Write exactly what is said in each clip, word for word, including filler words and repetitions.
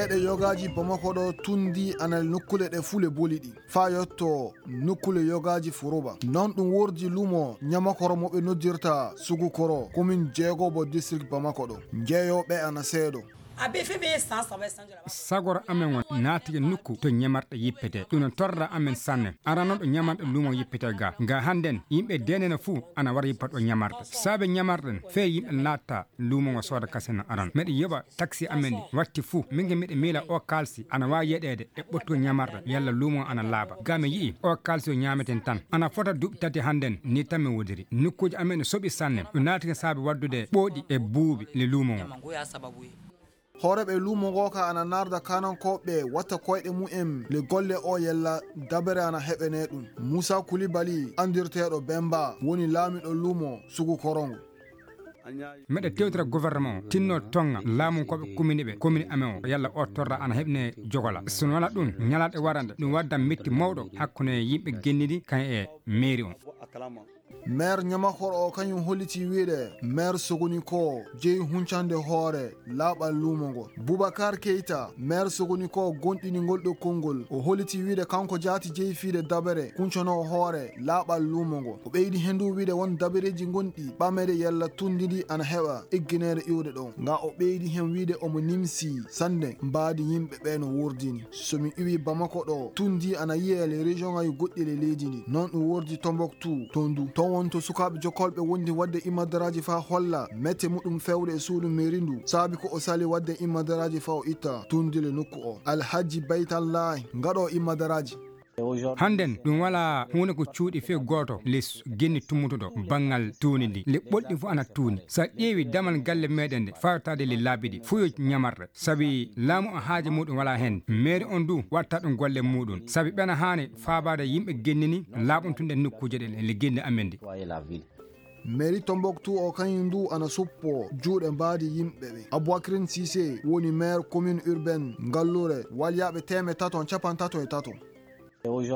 Ɗe yogaaji Bamako ɗo tundi ana nokkuule ɗe fuu le boliɗi. Faa yotto nokkuule yogaaji Furuba. Non ɗum wordi luumo Ñamakoro mo ɓe noddirta Sugukoro, komin jeegobo district Bamako ɗo. Njeeyooɓe ana seeɗo. Sagoro amen on naatike nokku to ñamarɗe yippete. Ɗum no torra amen sanne. Arano ɗo ñamarɗe luumo yippete ga. Nga hannden yimɓe denena fuu ana wara yippa ɗo ñamarɗe. Saabe ñamarɗen fee yimɓe naatta luumo ngo sooda kasen no aran. Meɗe yoɓa taksi amen ɗi watti fuu. Min ge meɗe miila o kaalsi ana waawi yeɗeede e ɓottugo ñamarɗe yalla luumo ana laaɓa. Ga mi yi'i o kaalsi o ñaameten tan. Ana fota duuɓi tati hannden ni tan mi wodiri. Nokkuuji amen no soɓi sanne. Ɗum naatike saabe waddude ɓooɗi e buuɓi le luumo ngo. Hooreeɓe luumo ngoo ka ana narda kanankooɓe watta koyɗe mumen le golle o yalla dabere ana heɓene ɗum. Muusa Kulibali anndirteeɗo Bemba woni laamiɗo luumo Sugu Korongo. Meɗe tewtira gouvernement o tinno tonga laamunkooɓe komini ɓe komini amen o yalla o torra ana heɓne jogola. So no wala ɗum ñalaɗe warande ɗum wadda metti mawɗo hakkunde yimɓe gennidi kan e mairie on. Maire Ñamakoro o kañum holliti wiide maire Sogoni ko jeyi huncande hoore laaɓal luumo ngo. Boubacar Keita, maire Sogoni ko gonɗini ngol ɗo konngol, o holliti wiide kanko jaati jeyi fiide dabere kuncanoo hoore laaɓal luumo ngo. O ɓeydi heen du wiide won dabereeji gonɗi ɓamere yalla tunndidi ana heɓa eggineede iwde ɗo. Nga o ɓeydi heen wiide omo nimsi sannde mbaadi yimɓe ɓe no wurdini. So mi iwi Bamako ɗo, tun ndi ana yiye le région ngaji goɗɗi le leydi ndi. Non ɗum wordi Tombouctou, toon du. Toon won to sukaaɓe jokkolɓe wondi waɗde imadaraaji faa holla mette muɗum fewde e suudu mairie ndu. Saabi ko o sali waɗde imadaraaji faa o itta tun ndi le nokku o. Alhaji Baytallahi, ngaɗo imadaraaji. Hannden ɗum walaa huunde ko cuuɗi fee gooto les genni tummutuɗo banngal tuuni ndi. Le ɓolɗi fof ana tuuni. So a ƴeewi damal galle meɗen nde, fawtaade le laabi ɗi, fof yo ñamarɗe. Sabi laamu o haaje muɗum walaa heen. Mairie on du watta ɗum golle muɗum. Sabi ɓena haani faabaade yimɓe gennini laaɓuntunɗe nokkuuje ɗen e le genni amen ndi. Mairie Tombouctou o kañum du ana suppo juuɗe mbaadi yimɓe ɓe. Aboubacrin Cissé woni maire commune urbaine Ngallure, walyaaɓe teemeɗɗe tato capanɗe tato e tato.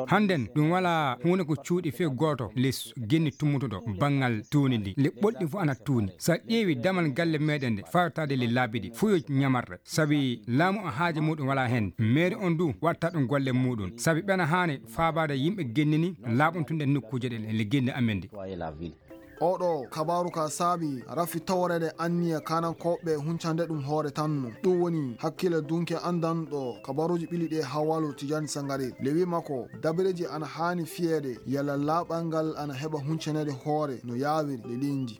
Hannden ɗum walaa huunde ko cuuɗi fee gooto les genni tummutuɗo banngal tuuni ndi. Le ɓolɗi fof ana tuuni. So a ƴeewi damal galle meɗen nde, fawtaade le laabi ɗi, fof yo ñamarɗe. Sabi laamu o haaje muɗum walaa heen. Mairie on du watta ɗum golle muɗum. Sabi ɓena haani faabaade yimɓe gennini laaɓuntunɗe nokkuuje ɗen e le genni amen ndi. Oɗo kabaaru ka saabi rafi taworeede anniya kanankooɓe huncande ɗum hoore tan no. Ɗum woni hakkille dunke anndanɗo kabaaruuji ɓili ɗi e Hawalu Tijani Sangare. Le wi makko, dabareeji ana haani fiyeede yalla laaɓal ngal ana heɓa huncaneede hoore no yaawiri le leydi ndi.